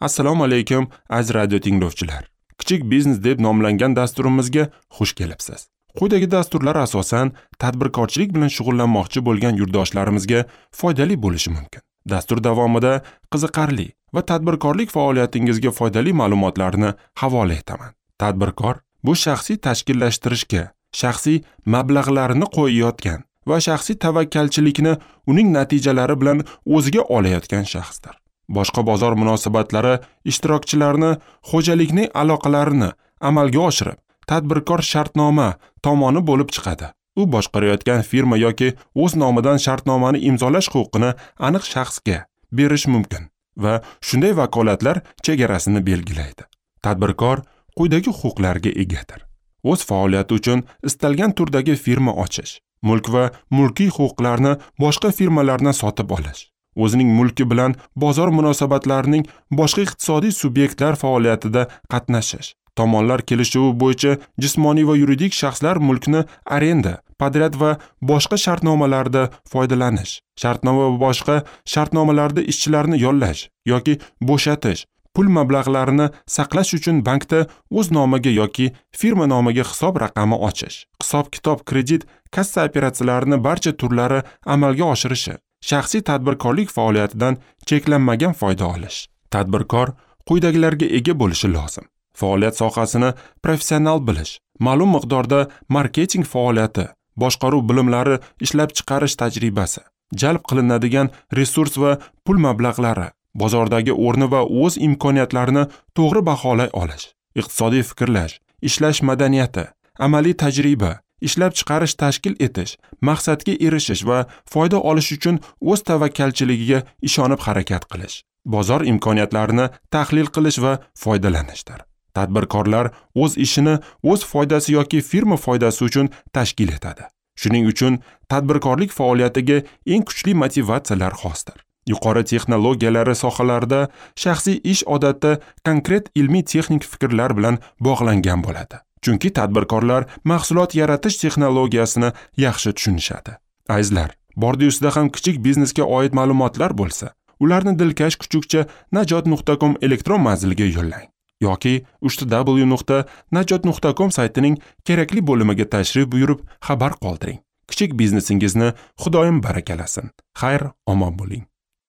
Assalomu alaykum, aziz radio tinglovchilar. Kichik biznes deb nomlangan dasturimizga xush kelibsiz. Quyidagi dasturlar asosan tadbirkorchilik bilan shug'ullanmoqchi bo'lgan yurtdoshlarimizga foydali bo'lishi mumkin. Dastur davomida qiziqarli va tadbirkorlik faoliyatingizga foydali ma'lumotlarni havola etaman. Tadbirkor bu shaxsiy tashkillashtirishga, shaxsiy mablag'larni qo'yayotgan va shaxsiy tavakkalchilikni uning natijalari bilan o'ziga olayotgan shaxsdir. Boshqa bozor munosabatlari ishtirokchilarini xo'jalikning aloqalarini amalga oshirib, tadbirkor shartnoma tomoni bo'lib chiqadi. U boshqarayotgan firma yoki o'z nomidan shartnomani imzolash huquqini aniq shaxsga berish mumkin va shunday vakolatlar chegarasini belgilaydi. Tadbirkor quyidagi huquqlarga egadir: o'z faoliyati uchun istalgan turdagi firma ochish, mulk va mulkiy huquqlarni boshqa firmalardan sotib olish, o'zining mulki bilan bozor munosabatlarining boshqa iqtisodiy subyektlar faoliyatida qatnashish, tomonlar kelishuvi bo'yicha jismoniy va yuridik shaxslar mulkni arenda, podryad va boshqa shartnomalarda foydalanish, shartnoma va boshqa shartnomalarda ishchilarni yollash yoki bo'shatish, pul mablag'larini saqlash uchun bankda o'z nomiga yoki firma nomiga hisob raqami ochish, hisob-kitob, kredit, kassa operatsiyalarini barcha turlari amalga oshirishi, shaxsiy tadbirkorlik faoliyatidan cheklanmagan foyda olish. Tadbirkor quyidagilarga ega bo'lishi lozim: faoliyat sohasini professional bilish, ma'lum miqdorda marketing faoliyati, boshqaruv bilimlari, ishlab chiqarish tajribasi, jalb qilinadigan resurs va pul mablag'lari, bozordagi o'rni va o'z imkoniyatlarini to'g'ri baholay olish, iqtisodiy fikrlash, ishlash madaniyati, amaliy tajriba, ishlab chiqarish tashkil etish, maqsadga erishish va foyda olish uchun o'z tavakkalchiligiga ishonib harakat qilish, bozor imkoniyatlarini tahlil qilish va foydalanishdir. Tadbirkorlar o'z ishini o'z foydasi yoki firma foydasi uchun tashkil etadi. Shuning uchun tadbirkorlik faoliyatiga eng kuchli motivatsiyalar xosdir. Yuqori texnologiyalari sohalarida shaxsiy ish odatda konkret ilmiy texnik fikrlar bilan bog'langan bo'ladi. Chunki tadbirkorlar mahsulot yaratish texnologiyasini yaxshi tushunishadi. Azizlar, bordi-ustida ham kichik biznesga oid ma'lumotlar bo'lsa, ularni dilkash kuchukcha najot.com elektron manziliga yo'llang yoki www.najot.com saytining kerakli bo'limiga tashrif buyurib xabar qoldiring. Kichik biznesingizni Xudoyim barakalasin. Xayr, omon bo'ling.